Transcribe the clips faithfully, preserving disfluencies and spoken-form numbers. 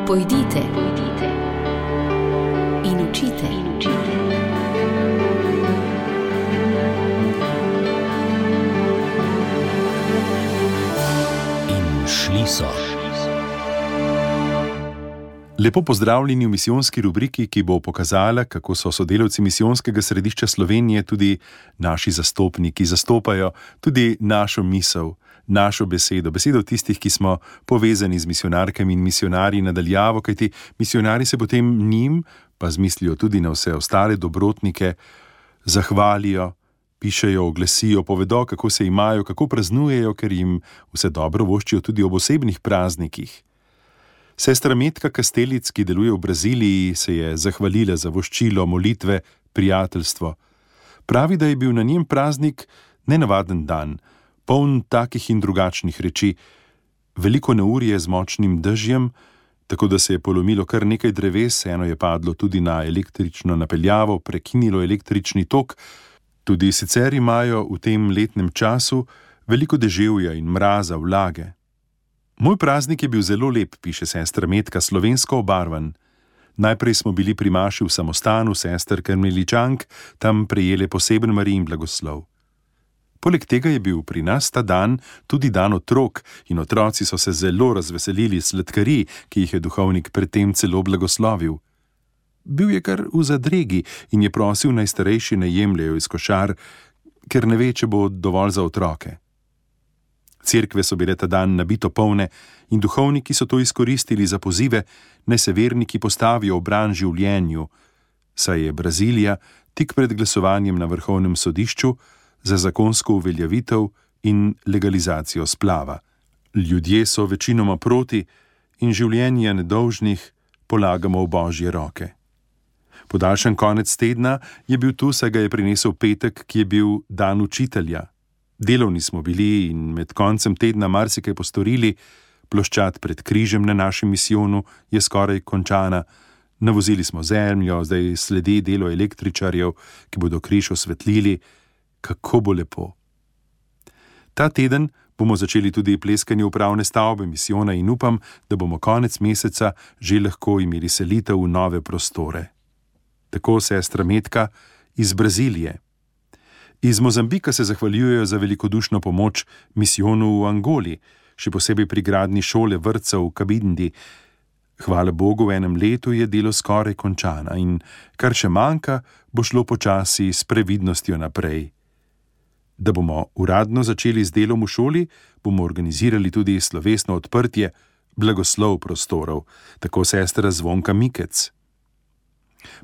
Pojdite, pojdite in učite, in učite. In šli so. Lepo pozdravljeni v misijonski rubriki, ki bo pokazala, kako so sodelavci Misijonskega središča Slovenije, tudi naši zastopniki, zastopajo tudi našo misel, našo besedo, besedo tistih, ki smo povezani z misijonarkami in misijonarji nadaljavo, kajti misijonari se potem njim, pa z mislijo tudi na vse ostale dobrotnike, zahvalijo, pišejo, oglasijo, povedo, kako se imajo, kako praznujejo, ker jim vse dobro voščijo tudi ob osebnih praznikih. Sestra Metka Kastelic, ki deluje v Braziliji, se je zahvalila za voščilo, molitve, prijateljstvo. Pravi, da je bil na njen praznik nenavaden dan, poln takih in drugačnih reči, veliko neurje z močnim dežjem, tako da se je polomilo kar nekaj dreves, eno je padlo tudi na električno napeljavo, prekinilo električni tok. Tudi sicer imajo v tem letnem času veliko deževja in mraza, vlage. Moj praznik je bil zelo lep, piše sestra Metka, slovensko obarvan. Najprej smo bili pri maši v samostanu sester Karmeličank, tam prejele poseben Marijin blagoslov. Poleg tega je bil pri nas ta dan tudi dan otrok in otroci so se zelo razveselili sladkarij, ki jih je duhovnik predtem celo blagoslovil. Bil je kar v zadregi in je prosil, naj starejši ne jemljejo iz košar, ker ne ve, če bo dovolj za otroke. Cerkve so bile ta dan nabito polne in duhovniki so to izkoristili za pozive, naj se verniki postavijo v bran življenju, saj je Brazilija tik pred glasovanjem na vrhovnem sodišču za zakonsko uveljavitev in legalizacijo splava. Ljudje so večinoma proti in življenje nedolžnih polagamo v Božje roke. Podaljšan konec tedna je bil tu, saj ga je prinesel petek, ki je bil dan učitelja. Delovni smo bili in med koncem tedna marsikaj postorili, ploščad pred križem na našem misijonu je skoraj končana, navozili smo zemljo, zdaj sledi delo električarjev, ki bodo križ osvetlili. Kako bo lepo. Ta teden bomo začeli tudi pleskanje upravne stavbe misijona in upam, da bomo konec meseca že lahko imeli selitev v nove prostore. Tako sestra Metka iz Brazilije. Iz Mozambika se zahvaljujejo za velikodušno pomoč misijonu v Angoli, še posebej pri gradnji šole vrtca v Kabindi. Hvala Bogu, v enem letu je delo skoraj končana in kar še manjka, bo šlo počasi s previdnostjo naprej. Da bomo uradno začeli z delom v šoli, bomo organizirali tudi slovesno odprtje, blagoslov prostorov, tako sestra Zvonka Mikec.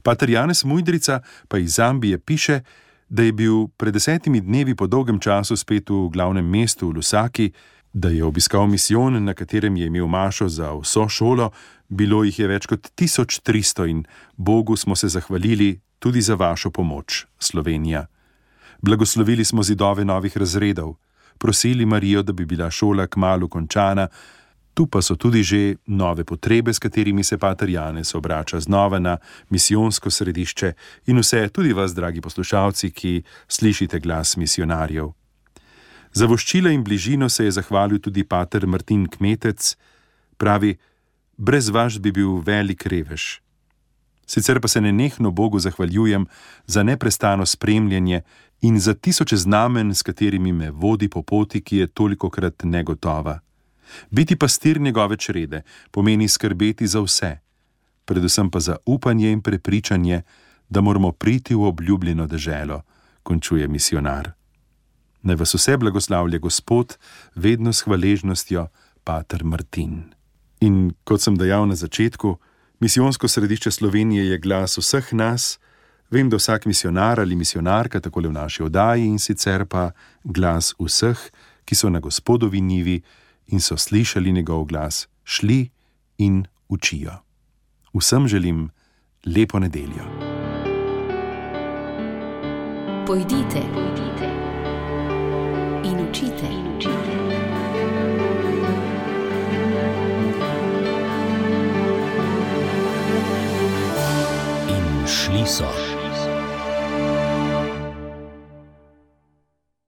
Pater Janez Mujdrica pa iz Zambije piše, da je bil pred desetimi dnevi po dolgem času spet v glavnem mestu v Lusaki, da je obiskal misijon, na katerem je imel mašo za vso šolo, bilo jih je več kot tisoč tristo in Bogu smo se zahvalili tudi za vašo pomoč, Slovenija. Blagoslovili smo zidove novih razredov, prosili Marijo, da bi bila šola kmalu končana, tu pa so tudi že nove potrebe, s katerimi se pater Janez obrača znova na misijonsko središče in vse, tudi vas, dragi poslušalci, ki slišite glas misijonarjev. Za voščila in bližino se je zahvalil tudi pater Martin Kmetec, pravi, brez vas bi bil velik revež. Sicer pa se nenehno Bogu zahvaljujem za neprestano spremljanje in za tisoče znamen, s katerimi me vodi po poti, ki je tolikokrat negotova. Biti pastir njegove črede pomeni skrbeti za vse, predvsem pa za upanje in prepričanje, da moramo priti v obljubljeno deželo, končuje misijonar. Naj vas vse blagoslavlja Gospod, vedno s hvaležnostjo, pater Martin. In kot sem dejal na začetku, Misijonsko središče Slovenije je glas vseh nas, vem, da vsak misijonar ali misijonarka takole v naši oddaji in sicer pa glas vseh, ki so na Gospodovi njivi in so slišali njegov glas, šli in učijo. Vsem želim lepo nedeljo. Pojdite, pojdite in učite, in učite. In šli so.